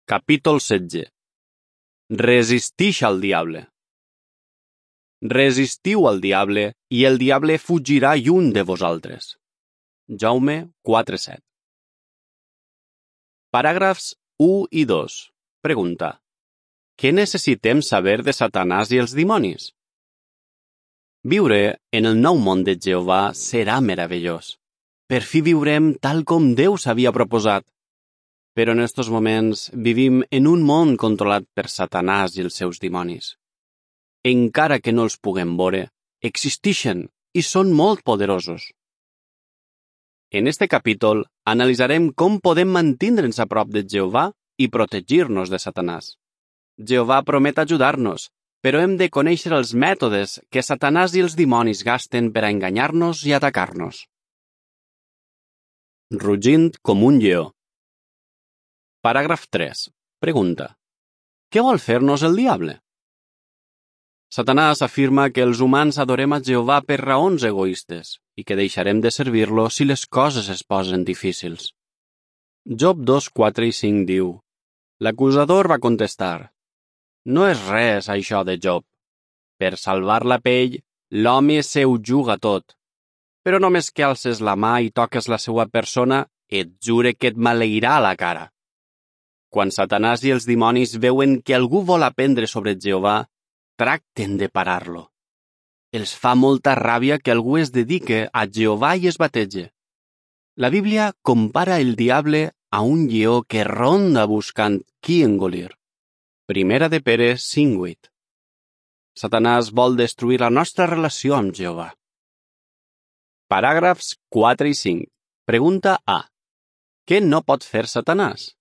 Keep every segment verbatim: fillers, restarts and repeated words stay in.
Capítol setze. Resistix al diable. Resistiu al diable i el diable fugirà lluny de vosaltres. Jaume quatre set. Paràgrafs u i dos. Pregunta. Què necessitem saber de Satanàs i els dimonis? Viure en el nou món de Jehovà serà meravellós. Per fi viurem tal com Déu s'havia proposat. Però en estos moments vivim en un món controlat per Satanàs i els seus dimonis. Encara que no els puguem veure, existeixen i són molt poderosos. En este capítol analitzarem com podem mantindre'ns a prop de Jehovà i protegir-nos de Satanàs. Jehovà promet ajudar-nos, però hem de conèixer els mètodes que Satanàs i els dimonis gasten per a enganyar-nos i atacar-nos. Rugint com un lleó. Paràgraf tres. Pregunta. Què vol fer-nos el diable? Satanàs afirma que els humans adorem a Jehovà per raons egoistes i que deixarem de servir-lo si les coses es posen difícils. Job dos, quatre i cinc diu: L'acusador va contestar: No és res això de Job. Per salvar la pell, l'home se ho juga tot. Però només que alces la mà i toques la seva persona, et jure que et maleirà la cara. Quan Satanàs i els dimonis veuen que algú vol aprendre sobre Jehovà, tracten de parar-lo. Els fa molta ràbia que algú es dedique a Jehovà i es batege. La Bíblia compara el diable a un lleó que ronda buscant qui engolir. Primera de Pere cinc vuit. Satanàs vol destruir la nostra relació amb Jehovà. Paràgrafs quatre i cinc. Pregunta A. Què no pot fer Satanàs?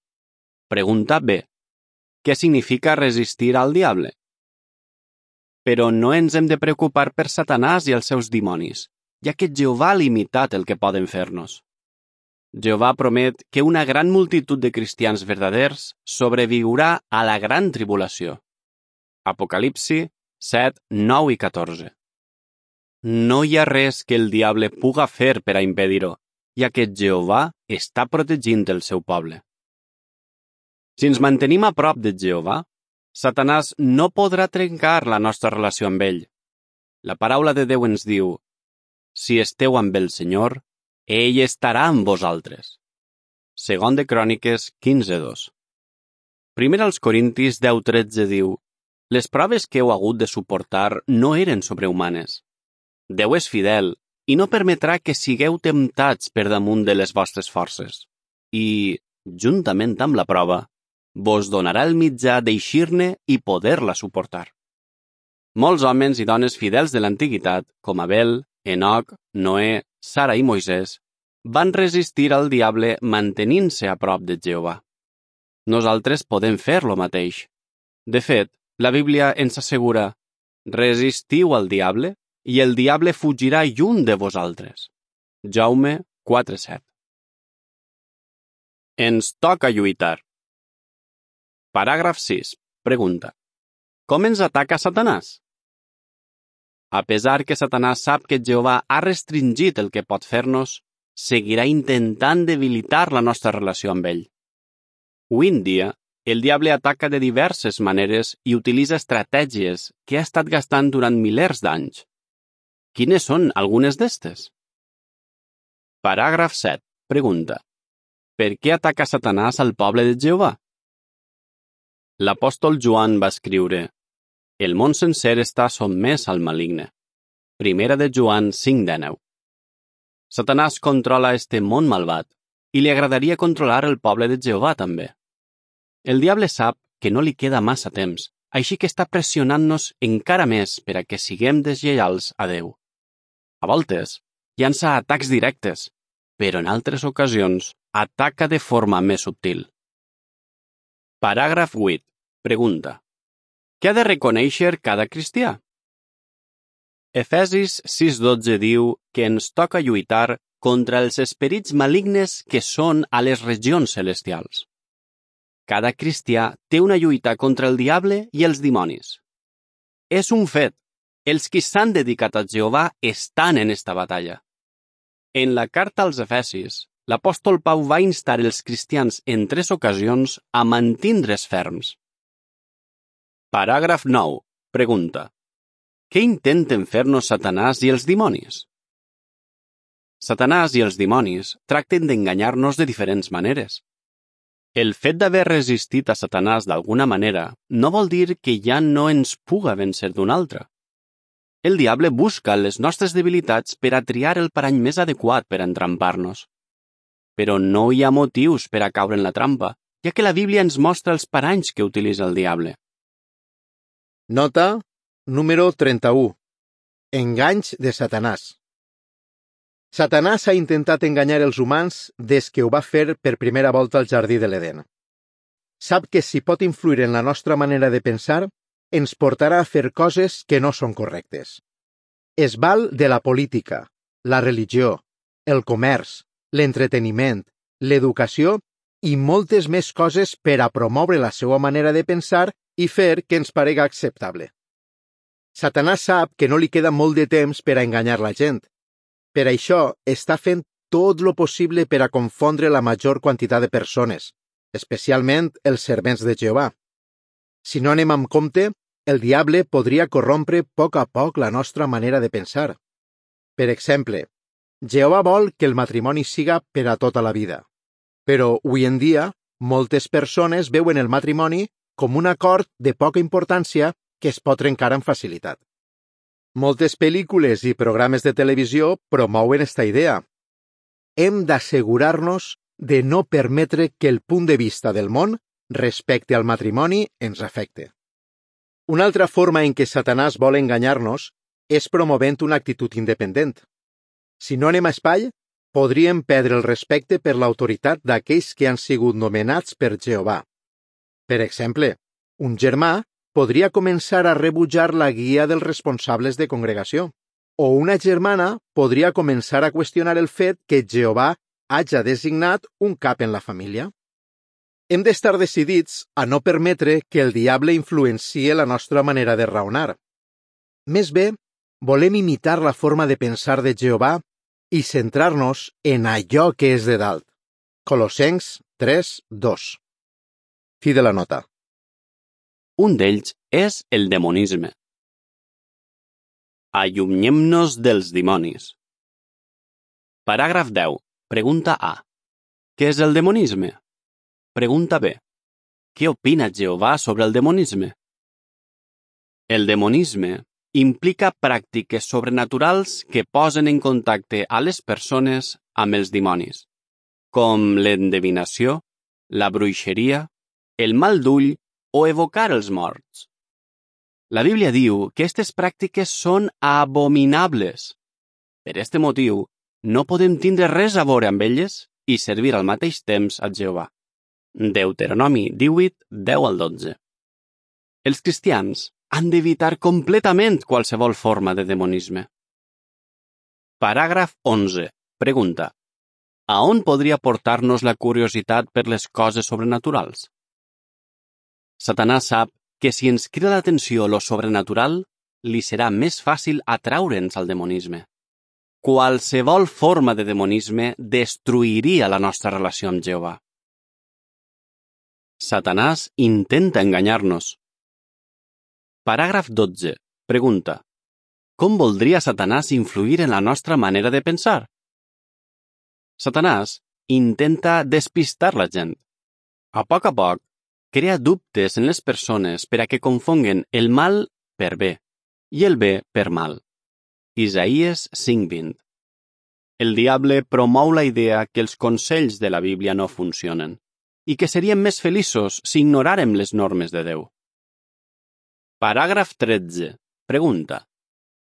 Pregunta B. Què significa resistir al diable? Però no ens hem de preocupar per Satanàs i els seus dimonis, ja que Jehovà ha limitat el que poden fer-nos. Jehovà promet que una gran multitud de cristians verdaders sobreviurà a la gran tribulació. Apocalipsi set, nou i catorze. No hi ha res que el diable puga fer per a impedir-ho, ja que Jehovà està protegint el seu poble. Si ens mantenim a prop de Jehovà, Satanàs no podrà trencar la nostra relació amb ell. La paraula de Déu ens diu: Si esteu amb el Senyor, ell estarà amb vosaltres. Segon de Cròniques quinze dos. Primer als Corintis deu tretze diu: Les proves que heu hagut de suportar no eren sobrehumanes. Déu és fidel i no permetrà que sigueu temptats per damunt de les vostres forces. I, juntament amb la prova, vos donarà el mitjà d'eixir-ne i poder-la suportar. Molts homes i dones fidels de l'antiguitat, com Abel, Enoc, Noé, Sara i Moisès, van resistir al diable mantenint-se a prop de Jehovà. Nosaltres podem fer lo mateix. De fet, la Bíblia ens assegura: resistiu al diable i el diable fugirà lluny de vosaltres. Jaume quatre set. Ens toca lluitar. Paràgraf sis. Pregunta. Com ens ataca Satanàs? A pesar que Satanàs sap que Jehovà ha restringit el que pot fer-nos, seguirà intentant debilitar la nostra relació amb ell. Avui en dia, el diable ataca de diverses maneres i utilitza estratègies que ha estat gastant durant milers d'anys. Quines són algunes d'estes? Paràgraf set. Pregunta. Per què ataca Satanàs al poble de Jehovà? L'apòstol Joan va escriure: El món sencer està sotmès al maligne. Primera de Joan cinc dinou. Satanàs controla este món malvat i li agradaria controlar el poble de Jehovà també. El diable sap que no li queda massa temps, així que està pressionant-nos encara més per a que siguem deslleials a Déu. A voltes, llança atacs directes, però en altres ocasions ataca de forma més subtil. Paràgraf vuit. Pregunta. Què ha de reconèixer cada cristià? Efesis sis dotze diu que ens toca lluitar contra els esperits malignes que són a les regions celestials. Cada cristià té una lluita contra el diable i els dimonis. És un fet. Els qui s'han dedicat a Jehovà estan en esta batalla. En la carta als Efesis, l'apòstol Pau va instar els cristians en tres ocasions a mantindre's ferms. Paràgraf nou. Pregunta. Què intenten fer-nos Satanàs i els dimonis? Satanàs i els dimonis tracten d'enganyar-nos de diferents maneres. El fet d'haver resistit a Satanàs d'alguna manera no vol dir que ja no ens puga vèncer d'una altra. El diable busca les nostres debilitats per a triar el parany més adequat per a entrampar-nos. Però no hi ha motius per a caure en la trampa, ja que la Bíblia ens mostra els paranys que utilitza el diable. Nota número trenta-u. Enganys de Satanàs. Satanàs ha intentat enganyar els humans des que ho va fer per primera volta al jardí de l'Eden. Sap que si pot influir en la nostra manera de pensar, ens portarà a fer coses que no són correctes. Es val de la política, la religió, el comerç, l'entreteniment, l'educació i moltes més coses per a promoure la seva manera de pensar i fer que ens parega acceptable. Satanàs sap que no li queda molt de temps per a enganyar la gent. Per això està fent tot lo possible per a confondre la major quantitat de persones, especialment els servents de Jehovà. Si no anem amb compte, el diable podria corrompre a poc a poc la nostra manera de pensar. Per exemple, Jehovà vol que el matrimoni siga per a tota la vida. Però, avui en dia, moltes persones veuen el matrimoni com un acord de poca importància que es pot trencar amb facilitat. Moltes pel·lícules i programes de televisió promouen esta idea. Hem d'assegurar-nos de no permetre que el punt de vista del món respecte al matrimoni ens afecte. Una altra forma en què Satanàs vol enganyar-nos és promovent una actitud independent. Si no anem a espai, podríem perdre el respecte per l'autoritat d'aquells que han sigut nomenats per Jehovà. Per exemple, un germà podria començar a rebutjar la guia dels responsables de congregació, o una germana podria començar a qüestionar el fet que Jehovà haja designat un cap en la família. Hem d'estar decidits a no permetre que el diable influenciï la nostra manera de raonar. Més bé, volem imitar la forma de pensar de Jehovà i centrar-nos en allò que és de dalt. Colossencs tres dos. Fi de la nota. Un d'ells és el demonisme. Allunyem-nos dels dimonis. Paràgraf deu. Pregunta A. Què és el demonisme? Pregunta B. Què opina Jehovà sobre el demonisme? El demonisme implica pràctiques sobrenaturals que posen en contacte a les persones amb els dimonis, com l'endevinació, la bruixeria, el mal d'ull o evocar els morts. La Bíblia diu que aquestes pràctiques són abominables. Per este motiu, no podem tindre res a veure amb elles i servir al mateix temps a Jehovà. Deuteronomi divuit, deu al dotze. Els cristians han d'evitar completament qualsevol forma de demonisme. Paràgraf onze. Pregunta. A on podria portar-nos la curiositat per les coses sobrenaturals? Satanàs sap que si ens crida l'atenció lo sobrenatural, li serà més fàcil atraure'ns al demonisme. Qualsevol forma de demonisme destruiria la nostra relació amb Jehovà. Satanàs intenta enganyar-nos. Paràgraf dotze. Pregunta. Com voldria Satanàs influir en la nostra manera de pensar? Satanàs intenta despistar la gent. A poc a poc, crea dubtes en les persones per a que confonguen el mal per bé i el bé per mal. Isaïes cinc vint. El diable promou la idea que els consells de la Bíblia no funcionen i que seríem més feliços si ignoràrem les normes de Déu. Paràgraf tretze. Pregunta.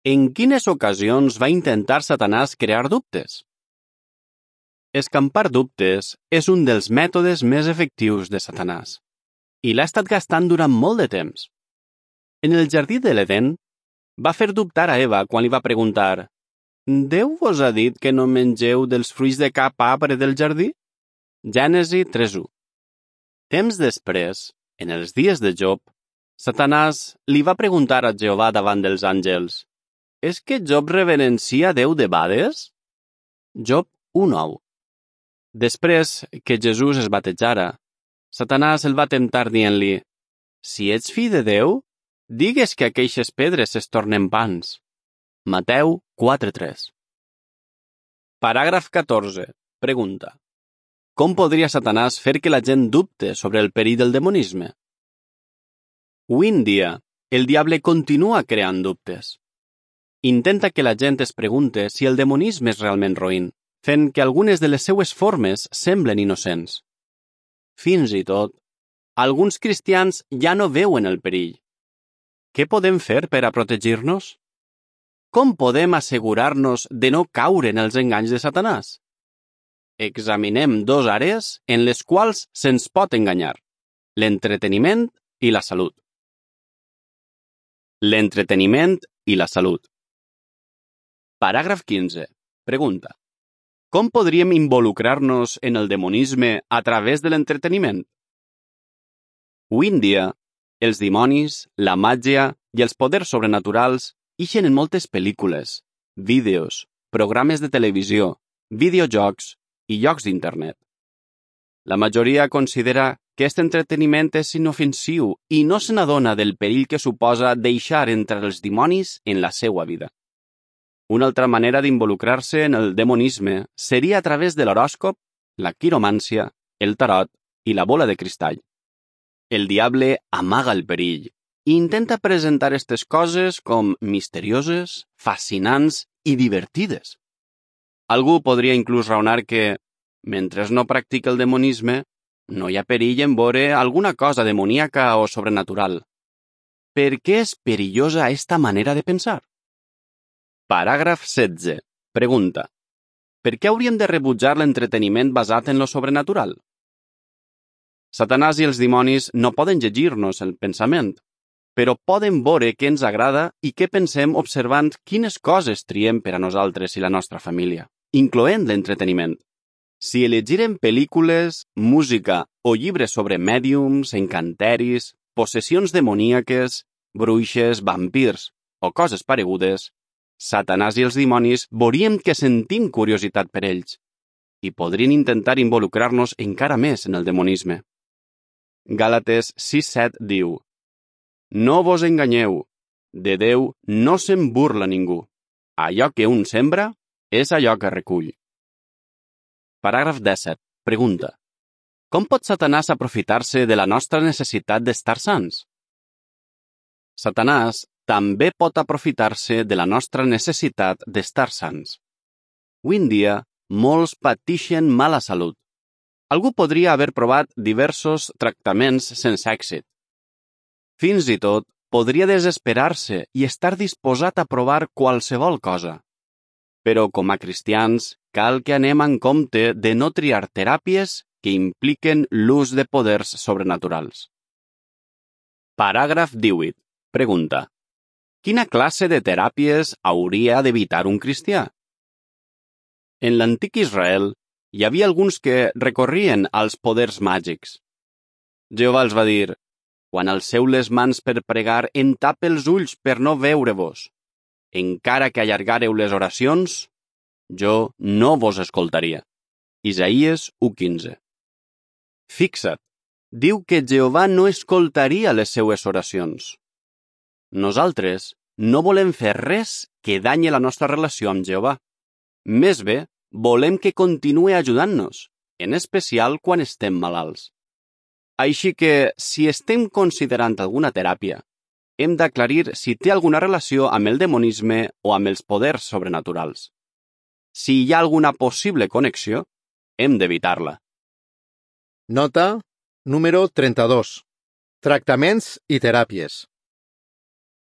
En quines ocasions va intentar Satanàs crear dubtes? Escampar dubtes és un dels mètodes més efectius de Satanàs i l'ha estat gastant durant molt de temps. En el jardí de l'Eden, va fer dubtar a Eva quan li va preguntar «Déu vos ha dit que no mengeu dels fruits de cap arbre del jardí?» Gènesi tres u. Temps després, en els dies de Job, Satanàs li va preguntar a Jehovà davant dels àngels «És que Job reverencia Déu de bades?» Job u nou. Després que Jesús es batejara, Satanàs el va temptar dient-li: «Si ets fill de Déu, digues que aqueixes pedres es tornen pans». Mateu quatre tres. Paràgraf catorze. Pregunta: com podria Satanàs fer que la gent dubte sobre el perill del demonisme? Avui en dia, el diable continua creant dubtes. Intenta que la gent es pregunte si el demonisme és realment roïn, fent que algunes de les seues formes semblen innocents. Fins i tot, alguns cristians ja no veuen el perill. Què podem fer per a protegir-nos? Com podem assegurar-nos de no caure en els enganys de Satanàs? Examinem dos àrees en les quals se'ns pot enganyar: l'entreteniment i la salut. L'entreteniment i la salut. Paràgraf quinze. Pregunta: com podríem involucrar-nos en el demonisme a través de l'entreteniment? Avui en dia, els dimonis, la màgia i els poders sobrenaturals ixen en moltes pel·lícules, vídeos, programes de televisió, videojocs i llocs d'internet. La majoria considera que aquest entreteniment és inofensiu i no se n'adona del perill que suposa deixar entrar els dimonis en la seva vida. Una altra manera d'involucrar-se en el demonisme seria a través de l'horòscop, la quiromància, el tarot i la bola de cristall. El diable amaga el perill i intenta presentar aquestes coses com misterioses, fascinants i divertides. Algú podria inclús raonar que, mentre no practica el demonisme, no hi ha perill en veure alguna cosa demoníaca o sobrenatural. Per què és perillosa aquesta manera de pensar? Paràgraf setze. Pregunta: per què hauríem de rebutjar l'entreteniment basat en lo sobrenatural? Satanàs i els dimonis no poden llegir-nos el pensament, però poden veure què ens agrada i què pensem observant quines coses triem per a nosaltres i la nostra família, incloent l'entreteniment. Si elegirem pel·lícules, música o llibres sobre mèdiums, encanteris, possessions demoníaques, bruixes, vampirs o coses paregudes, Satanàs i els dimonis veuríem que sentim curiositat per ells i podrien intentar involucrar-nos encara més en el demonisme. Gàlates sis set diu: no vos enganyeu, de Déu no se'n burla ningú. Allò que un sembra és allò que recull. Paràgraf disset. Pregunta: com pot Satanàs aprofitar-se de la nostra necessitat d'estar sants? Satanàs també pot aprofitar-se de la nostra necessitat d'estar sants. Avui en dia, molts pateixen mala salut. Algú podria haver provat diversos tractaments sense èxit. Fins i tot, podria desesperar-se i estar disposat a provar qualsevol cosa. Però com a cristians, cal que anem en compte de no triar teràpies que impliquen l'ús de poders sobrenaturals. Paràgraf divuit. Pregunta: quina classe de teràpies hauria d'evitar un cristià? En l'antic Israel, hi havia alguns que recorrien als poders màgics. Jehovà els va dir: quan alceu les mans per pregar, en tape els ulls per no veure-vos. Encara que allargareu les oracions, jo no vos escoltaria. Isaïes u quinze. Fixa't, diu que Jehovà no escoltaria les seues oracions. Nosaltres no volem fer res que danyi la nostra relació amb Jehovà. Més bé, volem que continuï ajudant-nos, en especial quan estem malalts. Així que, si estem considerant alguna teràpia, hem d'aclarir si té alguna relació amb el demonisme o amb els poders sobrenaturals. Si hi ha alguna possible connexió, hem d'evitar-la. Nota número trenta-dos. Tractaments i teràpies.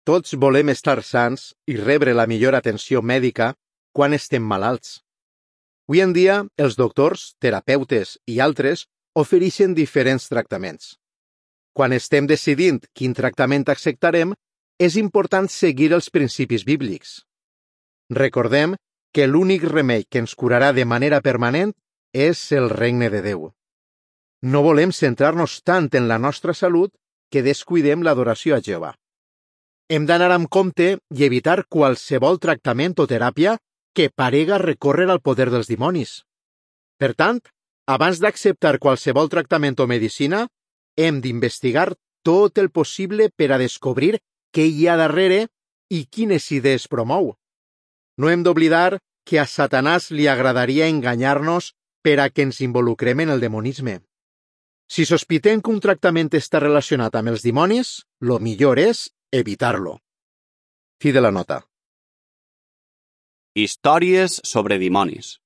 Tots volem estar sants i rebre la millor atenció mèdica quan estem malalts. Avui en dia, els doctors, terapeutes i altres ofereixen diferents tractaments. Quan estem decidint quin tractament acceptarem, és important seguir els principis bíblics. Recordem que l'únic remei que ens curarà de manera permanent és el regne de Déu. No volem centrar-nos tant en la nostra salut que descuidem l'adoració a Jehovà. Hem d'anar amb compte i evitar qualsevol tractament o teràpia que parega recórrer al poder dels dimonis. Per tant, Abans d'acceptar qualsevol tractament o medicina, hem d'investigar tot el possible per a descobrir què hi ha darrere i quines idees promou. No hem d'oblidar que a Satanàs li agradaria enganyar-nos per a que ens involucrem en el demonisme. Si sospitem que un tractament està relacionat amb els dimonis, lo millor és evitar-lo. Fi de la nota. Històries sobre dimonis.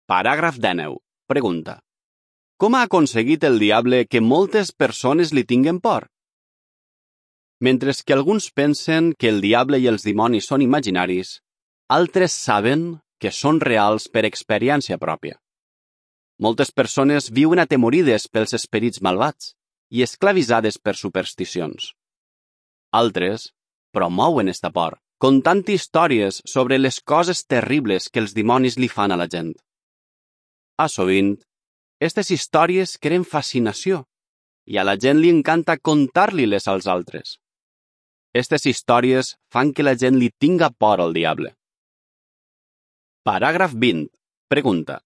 Paràgraf dinou. Pregunta. Com ha aconseguit el diable que moltes persones li tinguen por? Mentre que alguns pensen que el diable i els dimonis són imaginaris, altres saben que són reals per experiència pròpia. Moltes persones viuen atemorides pels esperits malvats i esclavitzades per supersticions. Altres promouen esta por, contant històries sobre les coses terribles que els dimonis li fan a la gent. A sovint, aquestes històries creen fascinació i a la gent li encanta contar-li-les als altres. Aquestes històries fan que la gent li tinga por al diable. Paràgraf vint. Pregunta.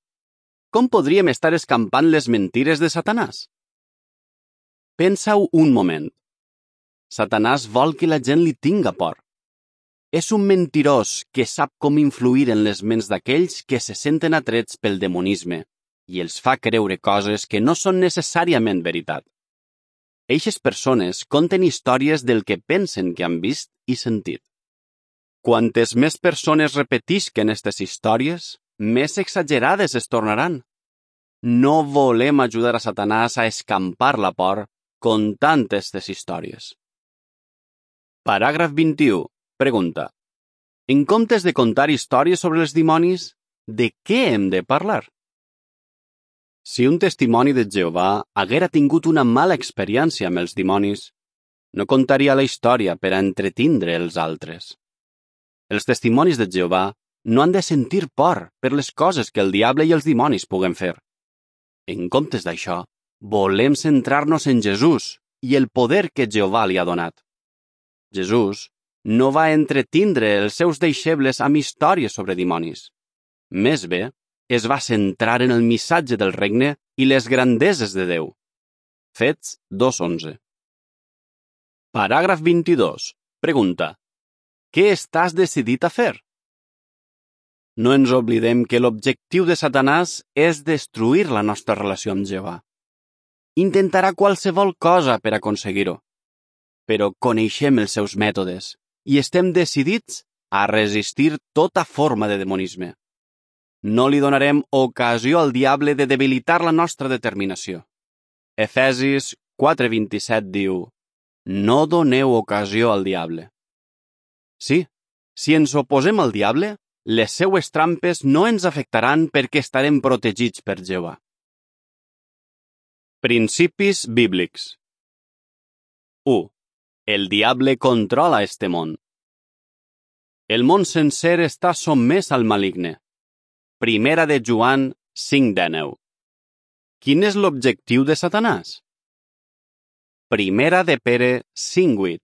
Com podríem estar escampant les mentires de Satanàs? Pensa-ho un moment. Satanàs vol que la gent li tinga por. És un mentirós que sap com influir en les ments d'aquells que se senten atrets pel demonisme i els fa creure coses que no són necessàriament veritat. Eixes persones conten històries del que pensen que han vist i sentit. Quantes més persones repetisquen aquestes històries, més exagerades es tornaran. No volem ajudar a Satanàs a escampar la por contant aquestes històries. Paràgraf vint-i-u. Pregunta. En comptes de contar històries sobre els dimonis, de què hem de parlar? Si un testimoni de Jehovà haguera tingut una mala experiència amb els dimonis, no contaria la història per a entretindre els altres. Els testimonis de Jehovà no han de sentir por per les coses que el diable i els dimonis puguen fer. En comptes d'això, volem centrar-nos en Jesús i el poder que Jehovà li ha donat. Jesús no va entretindre els seus deixebles amb històries sobre dimonis. Més bé, es va centrar en el missatge del regne i les grandeses de Déu. Fets dos onze. Paràgraf vint-i-dos. Pregunta. Què estàs decidit a fer? No ens oblidem que l'objectiu de Satanàs és destruir la nostra relació amb Jehovà. Intentarà qualsevol cosa per aconseguir-ho, però coneixem els seus mètodes i estem decidits a resistir tota forma de demonisme. No li donarem ocasió al diable de debilitar la nostra determinació. Efesis quatre vint-i-set diu: no doneu ocasió al diable. Sí, si ens oposem al diable, les seues trampes no ens afectaran perquè estarem protegits per Jehovà. Principis bíblics. u. El diable controla este món. El món sencer està sotmès al maligne. Primera de Joan cinc dinou. Quin és l'objectiu de Satanàs? Primera de Pere cinc vuit.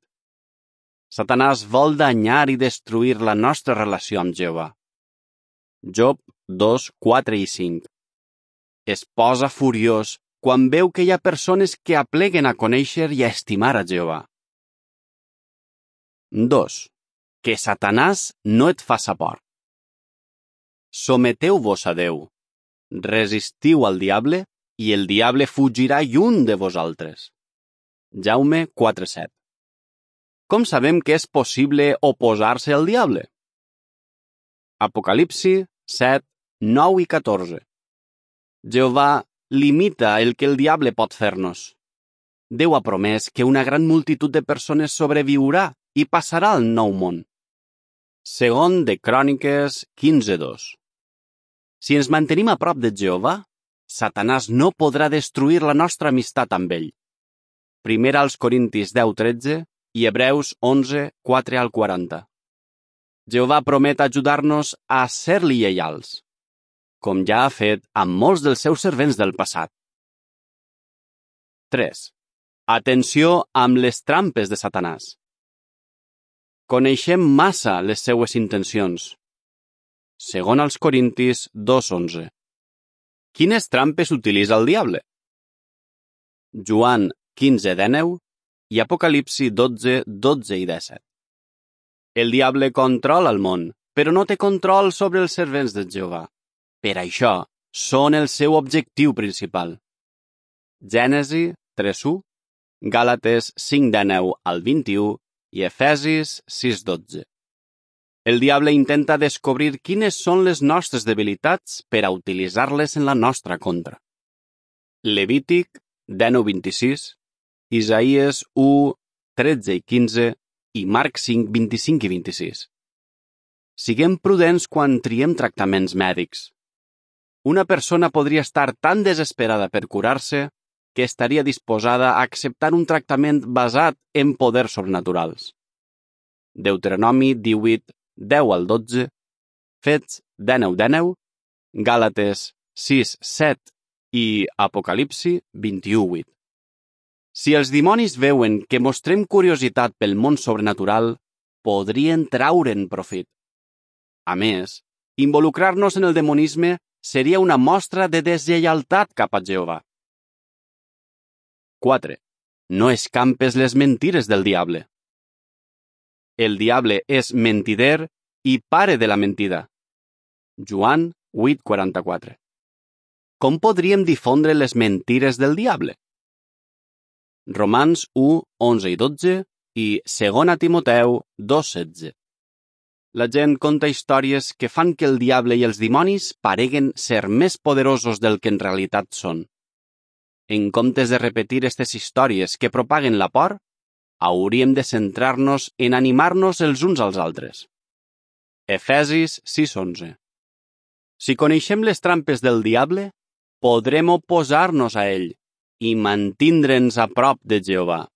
Satanàs vol danyar i destruir la nostra relació amb Jehovà. Job dos quatre i cinc. Es posa furiós quan veu que hi ha persones que apleguen a conèixer i a estimar a Jehovà. dos. Que Satanàs no et faça por. Someteu-vos a Déu. Resistiu al diable i el diable fugirà lluny de vosaltres. Jaume quatre set. Com sabem que és possible oposar-se al diable? Apocalipsi set nou i catorze. Jehovà limita el que el diable pot fer-nos. Déu ha promès que una gran multitud de persones sobreviurà i passarà al nou món. Segon de Cròniques quinze dos. Si ens mantenim a prop de Jehovà, Satanàs no podrà destruir la nostra amistat amb ell. Primera als Corintis deu tretze i Hebreus onze quatre al quaranta. Jehovà promet ajudar-nos a ser-li lleials, com ja ha fet amb molts dels seus servents del passat. tres. Atenció amb les trampes de Satanàs. Coneixem massa les seues intencions. Segon als Corintis dos onze. Quines trampes utilitza el diable? Joan quinze dènou i Apocalipsi dotze, dotze i disset. El diable controla el món, però no té control sobre els servents de Jehovà. Per això, són el seu objectiu principal. Gènesi tres u, Gàlates cinc dènou al vint-i-u i Efesis sis dotze. El diable intenta descobrir quines són les nostres debilitats per a utilitzar-les en la nostra contra. Levític dinou vint-i-sis, Isaïes u, tretze i quinze i Marc cinc, vint-i-cinc i vint-i-sis. Siguem prudents quan triem tractaments mèdics. Una persona podria estar tan desesperada per curar-se que estaria disposada a acceptar un tractament basat en poders sobrenaturals. Deuteronomi divuit, deu al dotze, Fets dinou dènou, Gàlates sis set i Apocalipsi vint-i-u vuit. Si els dimonis veuen que mostrem curiositat pel món sobrenatural, podrien traure'n profit. A més, involucrar-nos en el demonisme seria una mostra de deslleialtat cap a Jehovà. quatre. No escampes les mentires del diable. El diable és mentider i pare de la mentida. Joan vuit quaranta-quatre. Com podríem difondre les mentires del diable? Romans u, onze i dotze i segona Timoteu dos setze. La gent conta històries que fan que el diable i els dimonis pareguen ser més poderosos del que en realitat són. En comptes de repetir aquestes històries que propaguen la por, hauríem de centrar-nos en animar-nos els uns als altres. Efesis sis onze. Si coneixem les trampes del diable, podrem oposar-nos a ell i mantindre'ns a prop de Jehovà.